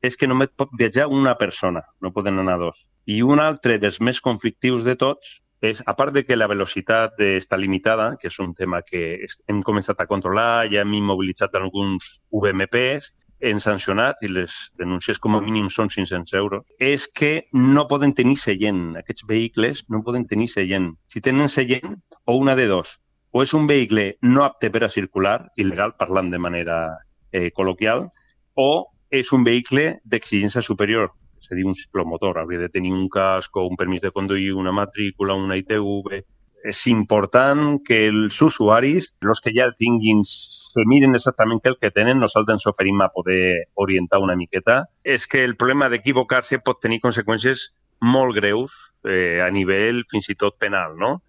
és que només pot viatjar una persona, no poden anar dos. I un altre dels més conflictius de tots és, a part de que la velocitat està limitada, que és un tema que hem començat a controlar, ja hem immobilitzat alguns VMPs, hem sancionat i les denúncies com a mínim són 500 euros, és que no poden tenir seient. Aquests vehicles no poden tenir seient. Si tenen seient, o una de dos, o és un vehicle no apte per a circular, il·legal, parlant de manera col·loquial, o és un vehicle d'exigència superior, és a dir, un ciclomotor. Hauria de tenir un casc o un permís de conduir, una matrícula, una ITV. És important que els usuaris, els que ja el tinguin, se miren exactament què el que tenen. Nosaltres ens oferim a poder orientar una miqueta. És que el problema d'equivocar-se pot tenir conseqüències molt greus a nivell fins i tot penal, no?